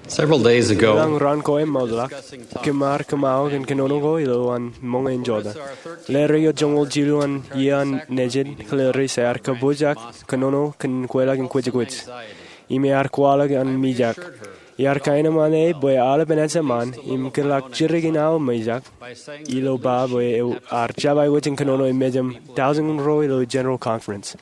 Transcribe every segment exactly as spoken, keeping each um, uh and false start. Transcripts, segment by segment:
Several days ago, Eḷaññe raan ko eṃṃakḷọk, kōm ar kōṃṃao kōn kōnono ko ilowaan ṃōñā in jota. Ḷeer eo joñoul jilu an iiō an nejid, Clarissa ear kōpooj kōnono kōn kweilọk in kwōjkwōj im ear kwaḷọk an mijak. Iar kaenōṃṃan e bwe aolep enaaj eṃṃan im kōtḷọk jidik in aō mijak ilo ba bwe ear jab aikuj in kōnono eṃṃan jān tọujin ro ilo General Conference.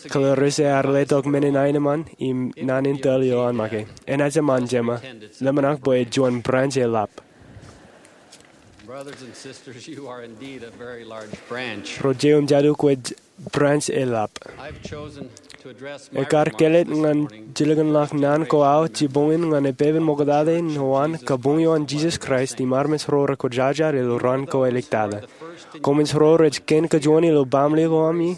Clarissa ear letok men in aenōṃṃan im naan in tōl eo an make, enaaj eṃṃan jema, ḷōmṇak bwe juon branch eḷap. Ro jeiū im jatū, kwōj branch eḷap. Ekar kāālōt ñan jilkinḷọk naan ko aō jibboñōn ñan epepen ṃoktata in uwaan kabuñ eo an Jesus Christ im armej ro rekwōjarjar ilo raan ko āliktata. Koṃij ro rej kōn kajuon ilo baaṃle ko ami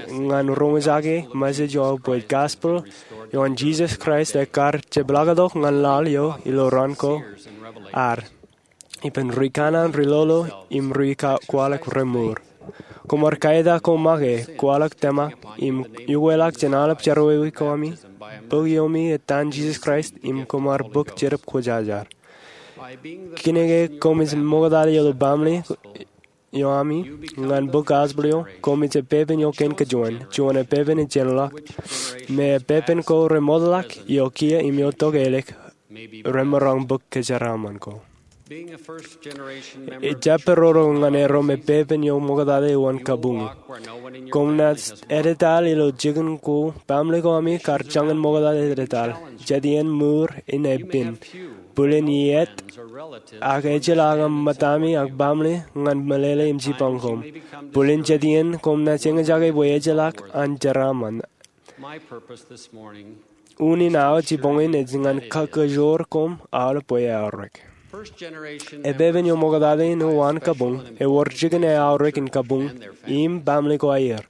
ñan roñjake message eo bwe gospel eo an Jesus Christ ekar jepḷaaktok ñan laḷ eo ilo raan ko ad ippān ri kanaan, ri lolo im ri kwaḷọk remour. Koṃ ar kaetak ko make, kwaḷọk tōmak im ukweḷọk jān aolep jerọwiwi ko ami, bōk iomi etan Jesus Christ im koṃ ar bōk Jetōb Kwōjarjar. Kōnke koṃij ṃoktata ilo baaṃle eo ami ñan bōk gospel eo, koṃij epepen eo kōn kajuon, juon epepen ejjeḷọk, me epepen ko remootḷọk iokiiō im iotok ālik remaroñ bōk kōjeraaṃṃan ko. Ejjab pād ro ñan erom epepen eo ṃoktata eo an kabuñ. Koṃ naaj edetal ilo jikin ko, baaṃle ko ami kar jañin ṃoktata edetal. Jet iien mour in epen. Bōlen iiet ak ejjeḷọk aṃ ṃōttami ak baaṃle ñan meḷeḷe im jipañ koṃ. Bōlen jet iien koṃ naaj eñjake bwe ejjeḷọk an jeraaṃṃan. Unin aō jibboñōn ej ñan kakajoor koṃ aolep bwe eaorōk. Epepen eo ṃoktata in uwaan kabuñ ewōr jikin eaorōk in kabuñ im baaṃle ko aer.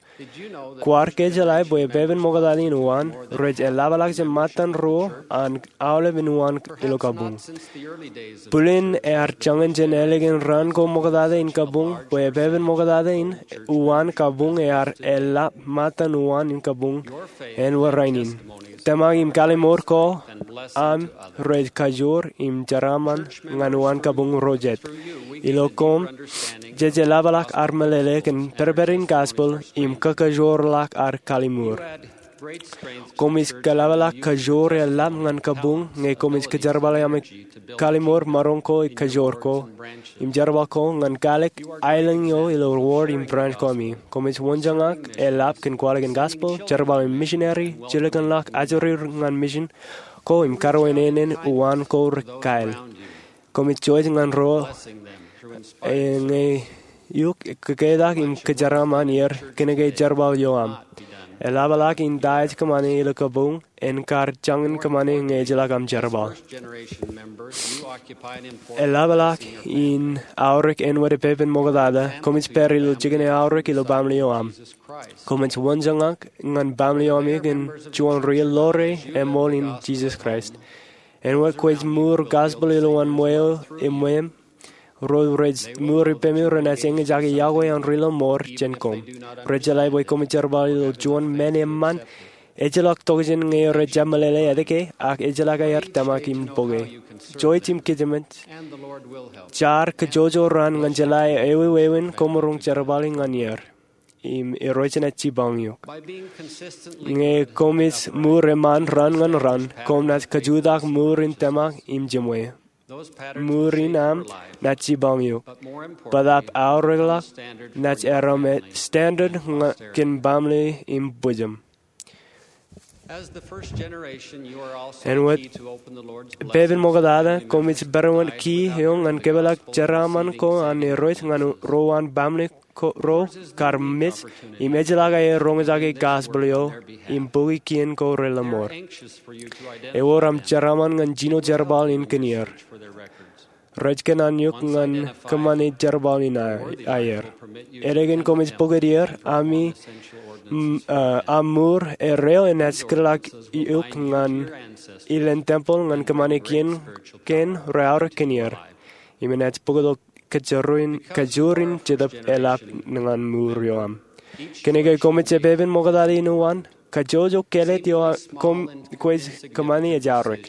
Kwaar kejeḷā bwe epepen ṃoktata in uwaan rej eḷapḷọk jān ṃōttan ruo an aolep in uwaan ilo kabuñ. Bōlen ear jañin jān ālikin raan ko ṃoktata in kabuñ bwe epepen ṃoktata in uwaan kabuñ ear eḷap ṃōttan uwaan in kabuñ āinwōt rainin. Tōmak im kalimour ko aṃ rej kajoor im jeraaṃṃan ñan uwaan kabuñ ro jet. Ilo koṃ, jej eḷapḷọk ad meḷeḷe kōn pedped in gospel im kakajoorḷọk ad kalimour. Koṃij eḷapḷọk kajoor eḷap ñan kabuñ ñe koṃij kōjerbale ami kalimour maroñ ko, kajoor ko im jerbal ko ñan kālik aelōñ eo ilo ward im branch ko ami. Koṃij wōnjōñak eḷap kōn kwaḷọk in gospel, jerbal in missionary, jilkinḷọk ajri ñan mission ko im karuwaineenen uwaan ko ri-kael. Koṃij jouj ñan ro ñe eok kōketak im kōjeraaṃṃan er kōnke jerbal eo aṃ. Eḷapḷọk in ta ej kōṃṃane ilo kabuñ en kar jañin kōṃṃane ñe ejjeḷọk aṃ jerbal. Eḷapḷọk in aorōk āinwōt epepen ṃoktata, koṃij pād ilo jikin eaorōk ilo baaṃle eo aṃ. Koṃij wōnjōñak ñan baaṃle eo ami kōn juon ri-ḷoore eṃool in Jesus Christ. Āinwōt kwōj mour gospel ilowaan ṃweo eṃṃan, ro rej mour ippemi renaaj eñjake yokwe an ri-lọmọọr jān koṃ. Rej jeḷā bwe koṃij jerbal ilo juon men eṃṃan, ejjeḷọk tokjān ñe rej jab meḷeḷe etke, ak ejjeḷọk aer tōmak im bōke. Jouj im kōjām, jaar kōjoojo raan ñan jeḷā ewi wāween koṃ maroñ jerbal ñan er im Irooj enaaj jipañ eok. Ñe koṃij mour eṃṃan raan ñan raan, koṃ naaj kajutak mour in tōmak im jiṃwe. Mour in aṃ naaj jipañ eok. Bōtaab aorōkḷọk naaj erom standard kōn baaṃle im bwijaṃ. Āinwōt epepen ṃoktata, koṃij pereṃṃan key eo ñan kōpeḷḷọk jeraaṃṃan ko an Irooj ñan ro an baaṃle ro kar mej im ejjeḷọk aer roñjake gospel eo im bōki kien ko relọmọọr. Ewōr aṃ jeraaṃṃan ñan jino jerbal in kōn er. Rej kōṇaan eok ñan kōṃṃane jerbal in aer. Ālikin koṃij bōk er, ami, aṃ mour erreo enaaj kōtḷọk eok ñan ilen tempeḷ ñan kōṃṃane kien kein rej aorōk kōn er. Im enaaj bōktok kajoor in Jetōb eḷap ñan mour eo aṃ. Kōnke koṃij epepen ṃoktata in uwaan, kajjojo kāālōt eo koṃ kwōj kōṃṃane ej aorōk.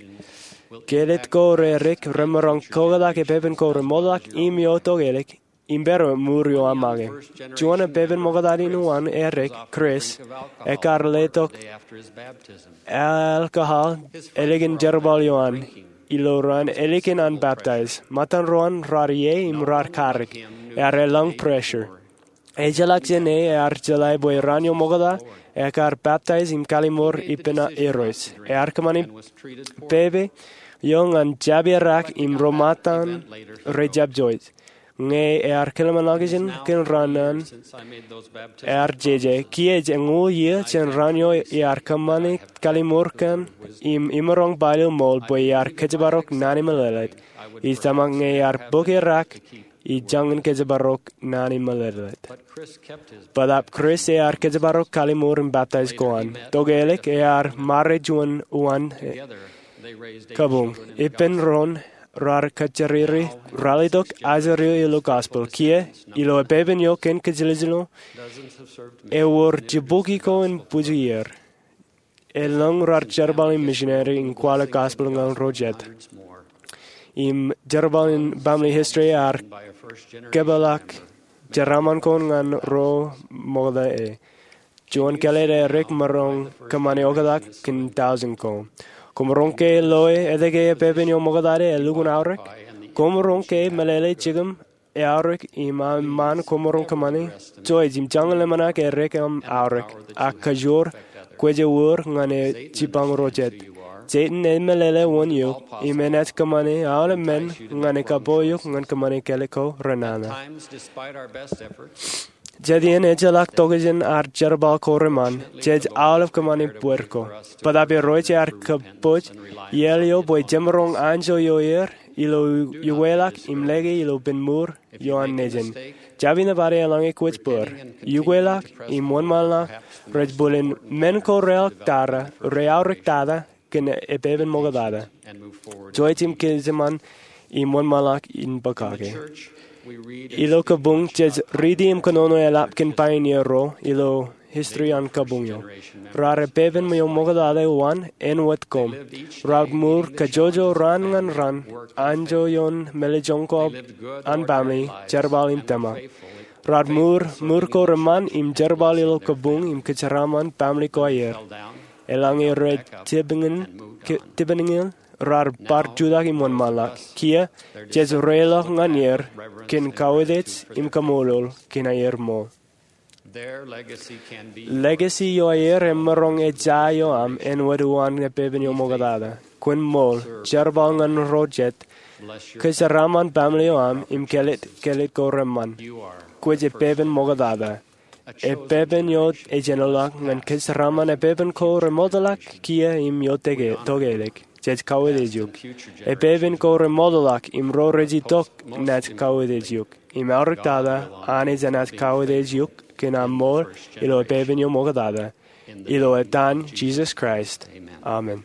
Kelōt ko rerik remaroñ koktak epepen ko remootḷọk im eo tokālik im pād ilo ṃweo eo aṃ make. Juon epepen ṃoktata in uwaan erik, Chris, ekar letok alcohol ālikin jerbal eo an ilo raan ālikin an baptize. Ṃōttan ro an raar ie im raar karik. Ear elōñ pressure. Ejjeḷọk jān e, ear jeḷā bwe raan eo ṃokta ekar baptize im kallimur ippān Irooj. Ear kōṃṃani pepe eo ñan jab irak im ro ṃōttan rej jab joij. Ñe ear kōḷmānḷọkjeṇ kōn raan an, ear jeje, kiiō ej eñoul iiō jān raan eo iar kōṃṃani kallimur kaṇ im imaroñ baaḷ eo ṃool bwe iar kōjparok naan in meḷeḷe. Ij tōmak ñe iar bōk irak ij jañin kōjparok naan in meḷeḷe. Bōtaab Chris ear kōjparok kallimur im baptize ko an. Tokālik ear ṃare juon uwaan kabuñ. Ippān doon raar kōjjiriri, ralitōk ajri eo ilo gospel. Kiiō, ilo epepen eo kōn kōjiljilu, ewōr jibukwi ko in bwij iiō. Elōñ raar jerbal in misineri in kwaḷọk gospel ñan ro jet. Im jerbal in family history ear kōpeḷḷọk jeraaṃṃan ko ñan ro ṃokta e. Juon kāālōt erik emaroñ kōṃṃani oktak kōn tọujin ko. Koṃaroñ ke loe etke epepen eo ṃoktata elukkuun aorōk? Koṃaroñ ke meḷeḷe jikin eaorōk im aṃ ṃaan koṃaroñ kōṃṃani? Joij im jañin ḷōmṇak erik aṃ aorōk, ak kōjwōr kwōj ewōr ñan e jipañ ro jet. Setan emeḷeḷe wōn eok im enaaj kōṃṃane aolep men ñan e kapo eok ñan kōṃṃane kāālik ko renana. Jet iien ejjeḷọk tokjān ad jerbal ko reṃṃan, jej aolep kōṃṃane bōd ko. Bōtaab Irooj ear kōpooj iaḷ eo bwe jemaroñ anjọ ioer ilo ukweḷọk im lōke ilo ippān mour eo an nejin. Jab inepata eḷaññe kwōj bōd. Ukweḷọk im wōnṃaanḷọk rej bōlen men ko reaorōk tata, reaorōk tata kōn epepen ṃoktata. Joij im kōjeṃṃan im wōnṃaanḷọk in bōk kake. Ilo kabuñ jej riiti im kōnono eḷap kōn pioneer ro ilo history an kabuñ eo. Raar epepen eo ṃoktata uwaan āinwōt koṃ. Raar mour kajjojo raan ñan raan, anjọ ioon mālejjoñ ko an family, jerbal im tōmak. Raar mour mour ko reṃṃan im jerbal ilo kabuñ im kōjeraaṃṃan family ko aer. Eḷaññe rej tipeñin, ke-, tipeñin, raar bar jutak im wōnṃaanḷọk. Kiiō, jej reiḷọk ñan er kōn kautiej im kaṃṃoolol kōn aer ṃool. Legacy eo aer emaroñ ejja eo aṃ āinwōt uwaan epepen eo ṃoktata. Kwōn ṃool, jerbal ñan ro jet, kōjeraaṃṃan family eo aṃ im kāālōt, kāālōt ko reṃṃan. Kwōj epepen ṃoktata. Epepen eo ej āinwōt ñan kōjeraaṃṃan epepen ko remootḷọk kiiō im eo tokālik. Jej kautiej eok. Epepen ko remootḷọk im ro rej itok naaj kautiej eok. Im aorōk tata, Anij enaaj kautiej eok kōn aṃ ṃool ilo epepen eo ṃoktata. Ilo etan Jisōs Kraist, amen.